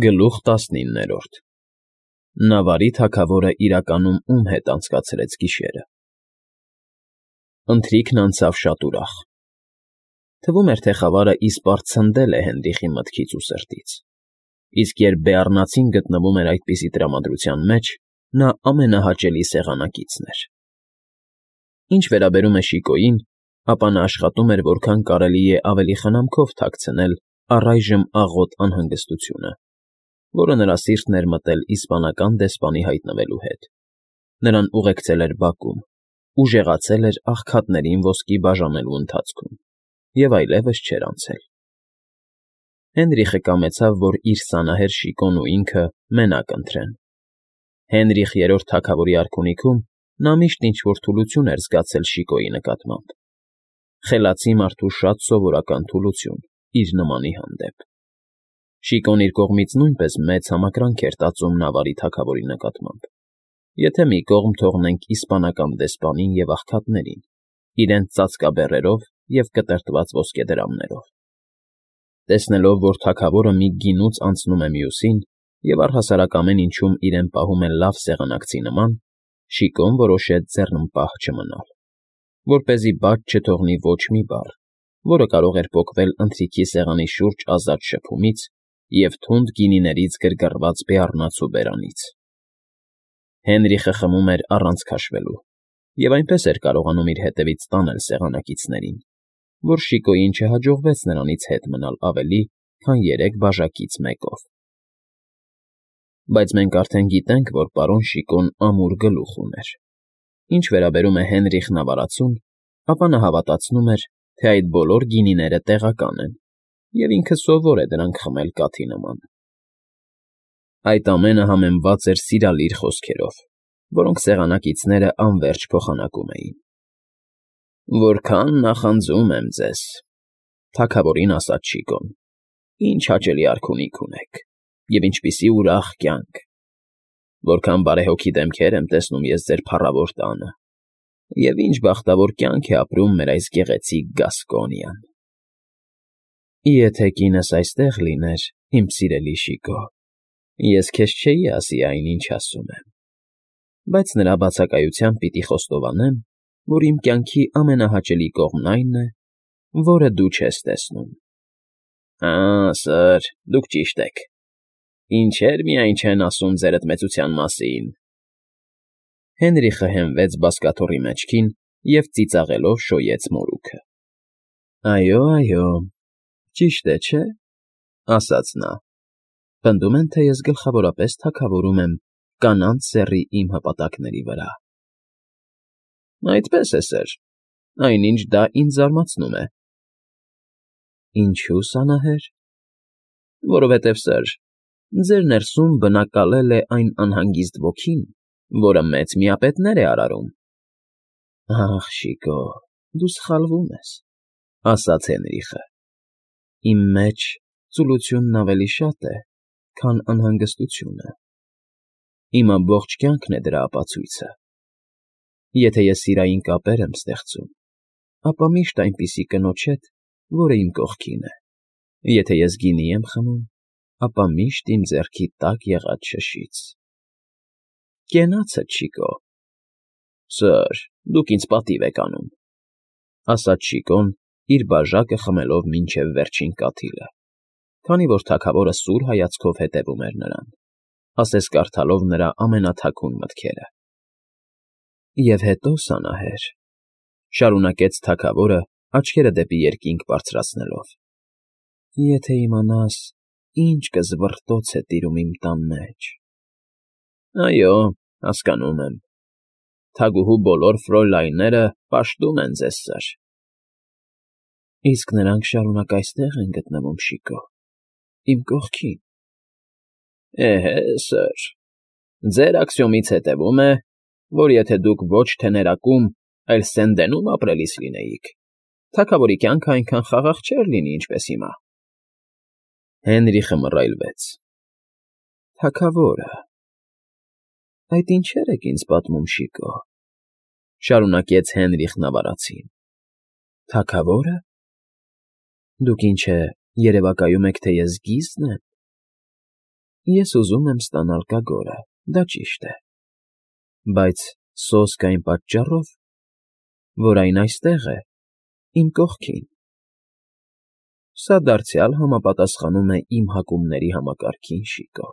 Գլուխ 19 Նավարի թագավորը իրականում ում հետ անցկացրեց գիշերը։ Ընթրիքն անցավ շատ ուրախ։ Թվում էր, թե խավարը իսպառ ցնդել է Հենրիխի մտքից ու սրտից, իսկ երբ բեառնացին գտնվում էր այդպիսի տրամադրության մեջ, նա ամենահաճելի սեղանակիցն էր։ Ինչ վերաբերում է Շիկոյին, ապա նա աշխատում էր որքան կարելի է ավելի խնամքով թաքցնել առայժմ աղոտ անհանգստությունը, որը նրա սիրտն էր մտել իսպանական դեսպանի հայտնվելու հետ։ Նրան ուղեկցել էր բակում, ուժեղացել էր աղքատներին ոսկի բաժանելու ընթացքում և այլևս չէր անցել։ Հենրիխը կամեցավ, որ իր սանահեր Շիկոն ու ինքը մենակ ընթրեն։ Հենրիխ III թագավորի արքունիքում նա միշտ ինչ֊որ թուլություն էր զգացել Շիկոյի նկատմամբ, խելացի մարդու շատ սովորական թուլություն իր նմանի հանդեպ։ Շիկոն իր կողմից նույնպես մեծ համակրանք էր տածում Նավարի թագավորի նկատմամբ, եթե մի կողմ թողնենք իսպանական դեսպանին և աղքատներին, իրենց ծածկաբեռերով և կտրտված ոսկեդրամներով։ Տեսնելով, որ թագավորը մի գինուց անցնում է մյուսին և առհասարակ ամեն ինչում իրեն պահում է լավ սեղանակցի նման, Շիկոն որոշեց ձեռնպահ չմնալ, որպեսզի բաց չթողնի ոչ մի բառ, որը կարող էր պոկվել ընթրիքի սեղանի շուրջ ազատ շփումից և թունդ գինիներից գրգռված բեառնացու բերանից։ Հենրիխը խմում էր առանց քաշվելու և այնպես էր կարողանում իր հետևից տանել սեղանակիցներին, որ Շիկոյին չհաջողվեց նրանից հետ մնալ ավելի, քան 3 բաժակից մեկով։ Բայց մենք արդեն գիտենք, որ պարոն Շիկոն ամուր գլուխ ուներ։ Ինչ վերաբերում է Հենրիխ Նավարացուն, ապա նա հավատացնում էր, թե այդ բոլոր գինիները տեղական են, և ինքը սովոր է դրանք խմել կաթի նման։ Այդ ամենը համեմված էր սիրալիր խոսքերով, որոնք սեղանակիցները անվերջ փոխանակում էին։ «Որքան նախանձում եմ ձեզ,֊ թագավորին ասաց Շիկոն,֊ ինչ հաճելի արքունիք ունեք, և ինչպիսի ուրախ կյանք… Որքան բարեհոգի դեմքեր եմ տեսնում ես ձեր փառավոր տանը, և ինչ բախտավոր կյանք է ապրում մեր այս գեղեցիկ Գասկոնիան… Եթե կինս այստեղ լիներ, իմ սիրելի Շիկո, ես քեզ չէի ասի այն, ինչ ասում եմ, բայց նրա բացակայությամբ պիտի խոստովանեմ, որ իմ կյանքի ամենահաճելի կողմն այն է, որը դու չես տեսնում։ Հա՜, սըր, դուք ճիշտ եք… Ինչեր միայն չեն ասում ձերդ մեծության մասին… Հենրիխը հենվեց բազկաթոռի մեջքին և ծիծաղելով շոյեց մորուքը։ Այո, այո, ճիշտ է, չէ՞, ասաց նա, պնդում են, թե ես գլխավորապես թագավորում եմ Կանանց Սեռի իմ հպատակների վրա։ Այդպես է, սըր, այնինչ դա ինձ զարմացնում է։ Ինչո՞ւ, սանահեր։ Որովհետև, սըր, ձեր ներսում բնակալել է այն անհանգիստ ոգին, որը մեծ միապետներ է արարում։ Ախ, Շիկո, դու սխալվում ես, ասաց Հենրիխը։ Իմ մեջ ծուլությունն ավելի շատ է, քան անհանգստությունը։ Իմ ամբողջ կյանքն է դրա ապացույցը։ Եթե ես սիրային կապեր եմ ստեղծում, ապա միշտ այնպիսի կնոջ հետ, որը իմ կողքին է։ Եթե ես գինի եմ խմում, ապա միշտ իմ ձեռքի տակ եղած շշից։ Կենացդ, Շիկո։ Սըր, դուք ինձ պատիվ եք անում, ասաց Շիկոն, իր բաժակը խմելով մինչև վերջին կաթիլը, քանի որ թագավորը սուր հայացքով հետևում էր նրան, ասես կարդալով նրա ամենաթաքուն մտքերը։ Եվ հետո, սանահեր, շարունակեց թագավորը, աչքերը դեպի երկինք բարձրացնելով, եթե իմանաս, ինչ կզվռտոց է տիրում իմ տան մեջ… Այո, հասկանում եմ, թագուհու բոլոր ֆրոյլայնները պաշտում են ձեզ, սըր… Իսկ նրանք շարունակ այստեղ են գտնվում, Շիկո, իմ կողքին։ Էհե, սըր, ձեր աքսիոմից հետևում է, որ եթե դուք ոչ թե ներակում, այլ Սենդենում ապրելիս լինեիք, թագավորի կյանքը այնքան խաղաղ չէր լինի, ինչպես հիմա։ Հենրիխը մռայլվեց։ Թագավորը… Այդ ինչեր եք ինձ պատմում, Շիկո, շարունակեց Հենրիխ Նավարացին։ Թագավո՞րը… Դուք ինչ է, երևակայում եք, թե ես գիզն եմ։ Ես ուզում եմ ստանալ կագորը, դա ճիշտ է, բայց սոսկ այն պատճառով, որ այն այստեղ է, իմ կողքին։ Սա դարձյալ համապատասխանում է իմ հակումների համակարգին, Շիկո։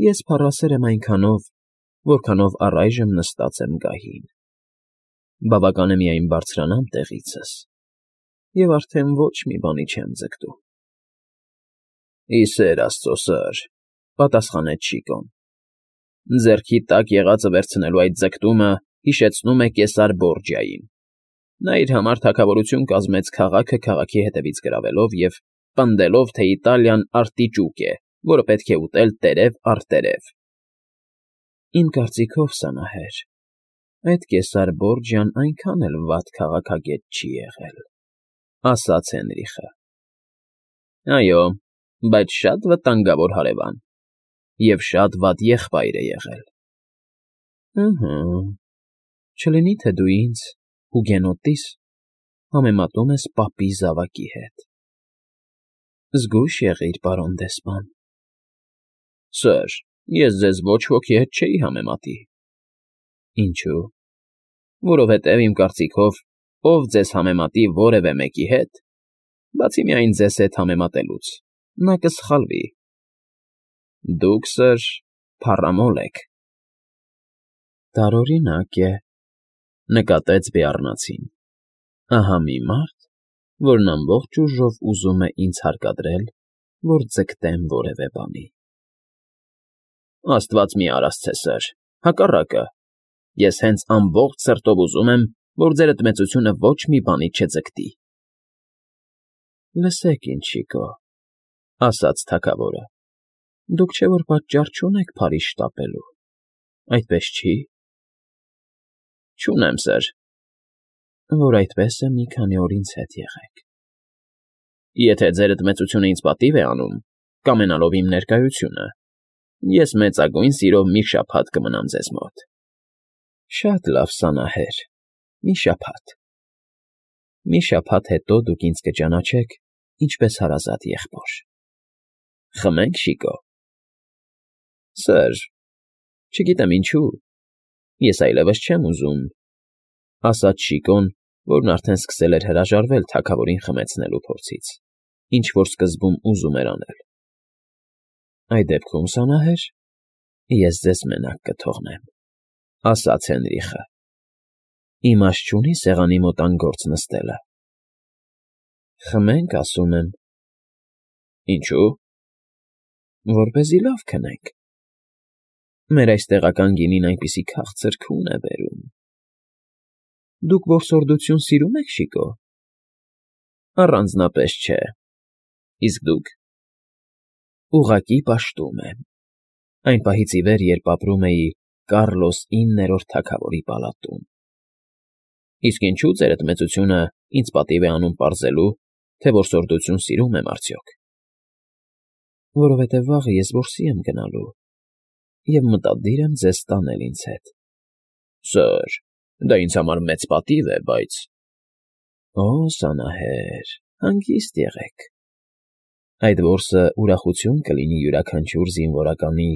Ես փառասեր եմ այնքանով, որքանով առայժմ նստած եմ գահին։ Բավական է միայն բարձրանամ տեղիցս, և արդեն ոչ մի բանի չեմ ձգտում։ Ի սեր Աստծո, սըր, պատասխանեց Շիկոն, ձեռքի տակ եղածը վերցնելու այդ ձգտումը հիշեցնում է Կեսար Բորջիային։ Նա իր համար թագավորություն կազմեց քաղաքը քաղաքի հետևից գրավելով և պնդելով, թե Իտալիան արտիճուկ է, որը պետք է ուտել տերև առ տերև։ Իմ կարծիքով, Սանահեր, այդ Կեսար Բորջիան այնքան էլ վատ քաղաքագետ չի եղել, ասաց Հենրիխը։ Այո, բայց շատ վտանգավոր հարևան, և շատ վատ եղբայր է եղել։ Ըհը, չլինի թե դու ինձ, հուգենոտիս, համեմատում ես պապի զավակի հետ։ Զգույշ եղիր, պարոն դեսպան։ Սըր, ես ձեզ ոչ ոքի հետ չէի համեմատի։ Ինչու՞։ Որովհետև իմ կարծիքով, ով ձեզ համեմատի որևէ մեկի հետ, բացի միայն ձեզ հետ համեմատելուց, նա կսխալվի։ Դուք, սըր, փառամոլ եք։ Տարօրինակ է, նկատեց Բեառնացին։ Ահա մի մարդ, որն ամբողջ ուժով ուզում է ինձ հարկադրել, որ ձգտեմ որևէ բանի։ Աստված մի արասցե, սըր, հակառակը, ես հենց ամբողջ սրտով ուզում եմ, որ ձեր դմեցությունը ոչ մի բանի չձգտի։ Լսեք ինչ, Շիկո, ասաց թագավորը, դուք չէ որ պատճառ չունեք փարի շտապելու, այդպես չի։ Չունեմ, սըր։ Որ այդպես է, մի քանի օր ինձ հետ եղեք։ Եթե ձեր դմեցությունը ինձ պատիվ է անում, կամենալով իմ ներկայությունը, ես մեծագույն սիրով մի շաբաթ կմնամ ձեզ մոտ։ Շատ լավ, Սանահեր, մի շաբաթ։ Մի շաբաթ հետո դուք ինձ կճանաչեք ինչպես հարազատ եղբոր։ Խմենք, Շիկո։ Սըր, չգիտեմ ինչու, ես այլևս չեմ ուզում, ասաց Շիկոն, որն արդեն սկսել էր հրաժարվել թագավորին խմեցնելու փորձից, ինչ որ սկզբում ուզում էր անել։ Այդ դեպքում, Սանահեր, ես ձեզ մենակ կթողնեմ, ասաց Հենրիխը։ Իմաստ չունի սեղանի մոտ անգործ նստելը։ Խմենք, ասում եմ։ Ինչու՞։ Որպեսզի լավ քնենք։ Մեր այս տեղական գինին այնպիսի քաղցր քուն է բերում։ Դուք որսորդություն սիրում եք, Շիկո։ Առանձնապես չէ։ Իսկ դուք։ Ուղղակի պաշտում եմ։ Այն պահից ի վեր, երբ ապրում էի Կառլոս 9-րդ թագավորի պալատում։ Իսկ ինչու ձեր դմեցությունը ինձ պատիվ է անում պարզելու, թե որսորդություն սիրում եմ արդյոք։ Որովհետև վաղը ես որսի եմ գնալու, և մտադիր եմ ձեզ տանել ինձ հետ։ Սըր, դա ինձ համար մեծ պատիվ է, բայց… Օ, Սանահեր, հանգիստ եղեք։ Այդ որսը ուրախություն կլինի յուրաքանչյուր զինվորականի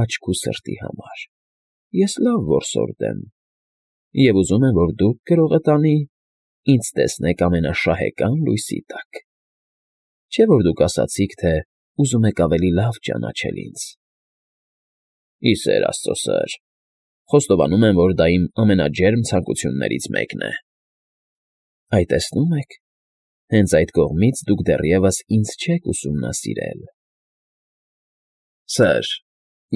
աչք ու սրտի համար։ Ես լավ որսորդ եմ, և ուզում եմ, որ դուք, գրողը տանի, ինձ տեսնեք ամենաշահեկան լույսի տակ։ Չէ՞ որ դուք ասացիք, թե ուզում եք ավելի լավ ճանաչել ինձ։ Ի սեր Աստծո, սըր, խոստովանում եմ, որ դա իմ ամենաջերմ ցանկություններից մեկն է։ Այ տեսնում եք, հենց այդ կողմից դուք դեռևս ինձ չեք ուսումնասիրել։ Սըր,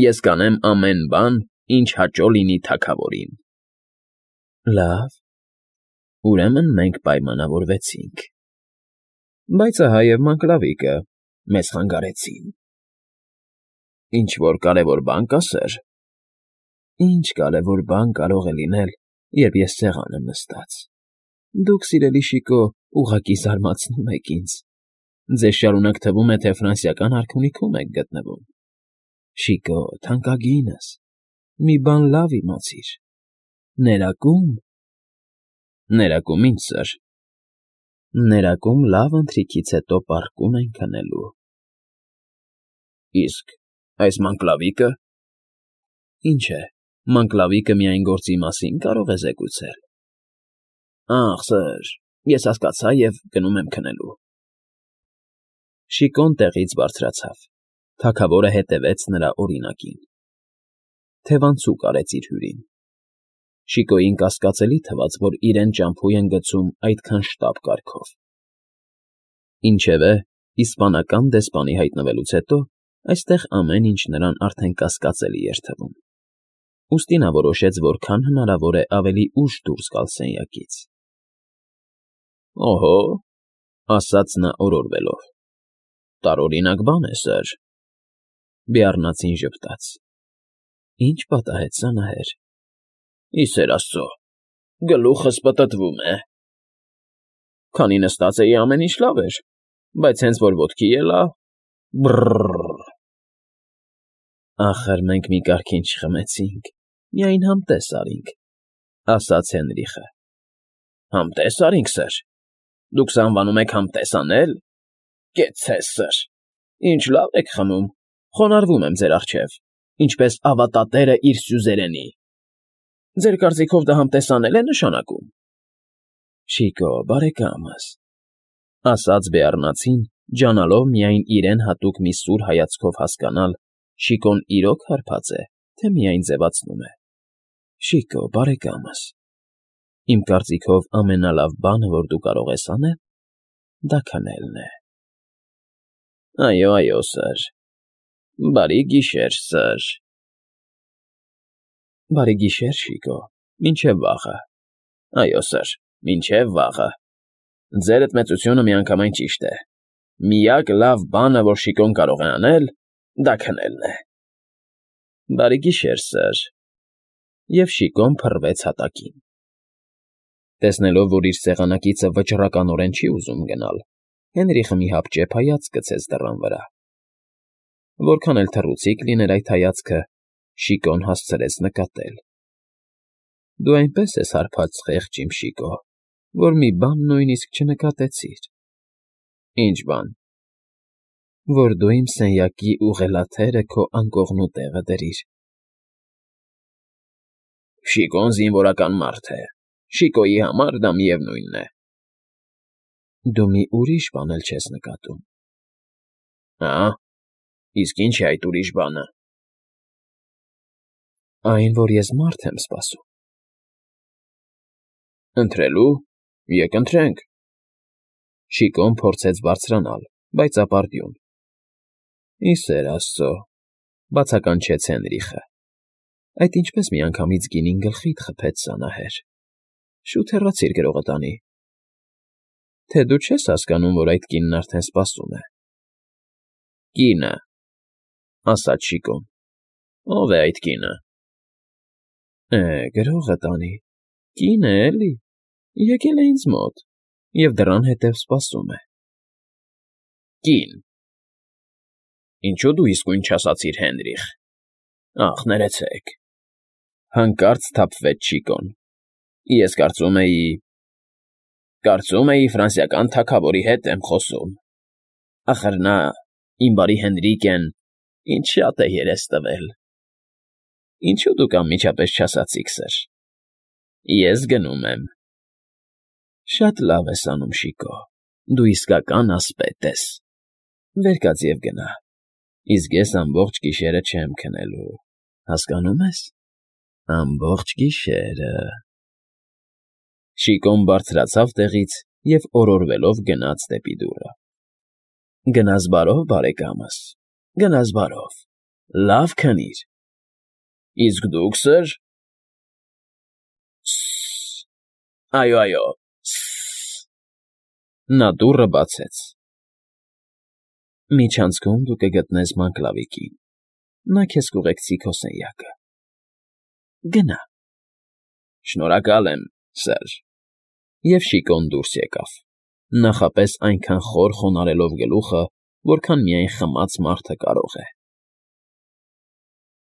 ես կանեմ ամեն բան, ինչ հաճո լինի թագավորին։ Լավ, ուրեմն մենք պայմանավորվեցինք։ Բայց ահա և Մակլավիկը մեզ խանգարեցին։ Ինչ֊որ կարևոր բան կա, սըր։ Ինչ կարևոր բան կարող է լինել, երբ ես սեղան եմ նստած։ Դուք, սիրելի Շիկո, ուղղակի զարմացնում եք ինձ։ Ձեզ շարունակ թվում է, թե ֆրանսիական արքունիքում եք գտնվում։ Շիկո, թանկագինս, մի բան լավ իմացիր։ Ներակում… Ներակում ինչ, սըր։ Ներակում լավ ընթրիքից հետո պառկում են քնելու։ Իսկ Այս մանկլավիկը։ Ինչ է, մանկլավիկը միայն գործի մասին կարող է զեկուցել։ Ախ, սըր, ես հասկացա և գնում եմ քնելու։ Շիկոն տեղից բարձրացավ, թագավորը հետևեց նրա օրինակին։ Թևանցուկ արեց իր հյուրին։ Շիկոյին կասկածելի թվաց, որ իրեն ճամփու են գցում այդքան շտապ կարգով։ Ինչևէ, իսպանական դեսպանի հայտնվելուց հետո այստեղ ամեն ինչ նրան արդեն կասկածելի էր թվում։ Ուստի նա որոշեց որքան հնարավոր է ավելի ուշ դուրս գալ սենյակից։ Օհո, ասաց նա օրորվելով, տարօրինակ բան է, սըր։ Բեառնացին ժպտաց։ Ինչ պատահեց, զանահեր։ Ի սեր Աստծո, գլուխս պտտվում է։ Քանի նստած էի, ամեն ինչ լավ էր, բայց հենց որ ոտքի ելա, բռռռ։ Ախր մենք մի կարգին չխմեցինք, միայն համտես արինք, ասաց Հենրիխը։ Համտես արինք, սըր։ Դուք սա անվանում եք համտես անել։ Կեցցես, սըր, ինչ լավ եք խմում, խոնարհվում եմ ձեր առջև, ինչպես ավատատերը իր սյուզերենի։ Ձեր կարծիքով դա համտես անել է նշանակում։ Շիկո, բարեկամս, ասաց Բեառնացին, ջանալով միայն իրեն հատուկ մի սուր հայացքով հասկանալ, Շիկոն իրոք հարբած է, թե միայն ձևացնում է։ Շիկո, բարեկամս, իմ կարծիքով ամենալավ բանը, որ դու կարող ես անել, դա քնելն է։ Այո, սըր։ Բարի գիշեր, սըր։ Բարի գիշեր, Շիկո, մինչև վաղը։ Այո, սըր, մինչև վաղը։ Ձերդ մեծությունը միանգամայն ճիշտ է։ Միակ լավ բանը, որ Շիկոն կարող է անել, դա քնելն է։ Բարի գիշեր, սըր։ Եվ Շիկոն փռվեց հատակին։ Տեսնելով, որ իր սեղանակիցը վճռականորեն չի ուզում գնալ, Հենրիխը մի հապճեպ հայացք գցեց դռան վրա։ Որքան էլ թռուցիկ լիներ այդ հայացքը, Շիկոն հասցրեց նկատել։ Դու այնպես ես հարբած, խեղճ իմ Շիկո, որ մի բան նույնիսկ չնկատեցիր։ Ինչ բան։ Որ դու իմ սենյակի ուղղելաթերը քո անկողնու տեղը դրիր։ Շիկոն զինվորական մարդ է։ Շիկոյի համար դա միևնույնն է։ Դու մի ուրիշ բան էլ չես նկատում։ Հա՞, իսկ ինչ է այդ ուրիշ բանը։ Այն, որ ես մարդ եմ սպասում։ Ընթրելու։ Եկ ընթրենք։ Շիկոն փորձեց բարձրանալ, բայց ապարդյուն։ Ի սեր Աստծո, բացականչեց Հենրիխը։ Այդ ինչպես միանգամից գինին գլխիդ խփեց, զանահեր։ Շուտ հեռացիր գրողտանի։ Թե դու չես հասկանում, որ այդ կինն արդեն սպասում է։ Կինը, ասաց Շիկոն։ Ո՞վ է այդ կինը։ Գրողտանի, կին է, էլի, եկել է ինձ մոտ և դռան հետև սպասում է։ Կին։ Ինչու դու իսկույն չասացիր, Հենրիխ։ Ախ, ներեցեք։ Հանկարծ սթափվեց Շիկոն։ Ես կարծում էի ֆրանսիական թագավորի հետ եմ խոսում։ Ախր նա, իմ բարի Հենրիկեն, ինչ շատ է երես տվել։ Ինչու դուք անմիջապես չասացիք, սըր։ Ես գնում եմ։ Շատ լավ ես անում, Շիկո, դու իսկական ասպետ ես։ Վեր կաց և գնա, իսկ ես ամբողջ գիշերը չեմ քնելու, հասկանում ես։ Ամբողջ գիշերը։ Շիկոն բարձրացավ տեղից և օրորվելով գնաց դեպի դուռը։ Գնաս բարով, բարեկամս, գնաս բարով, լավ քնիր։ Իսկ դուք, սըր։ Այո, նա դուռը բացեց։ Միջանցքում դու կգտնես մանկլավիկին, նա քեզ կուղեկցի քո սենյակը։ Գնա։ Շնորհակալ եմ, սըր։ Եվ Շիկոն դուրս եկավ, նախապես այնքան խոր խոնարհելով գլուխը, որքան միայն խմած մարդը կարող է։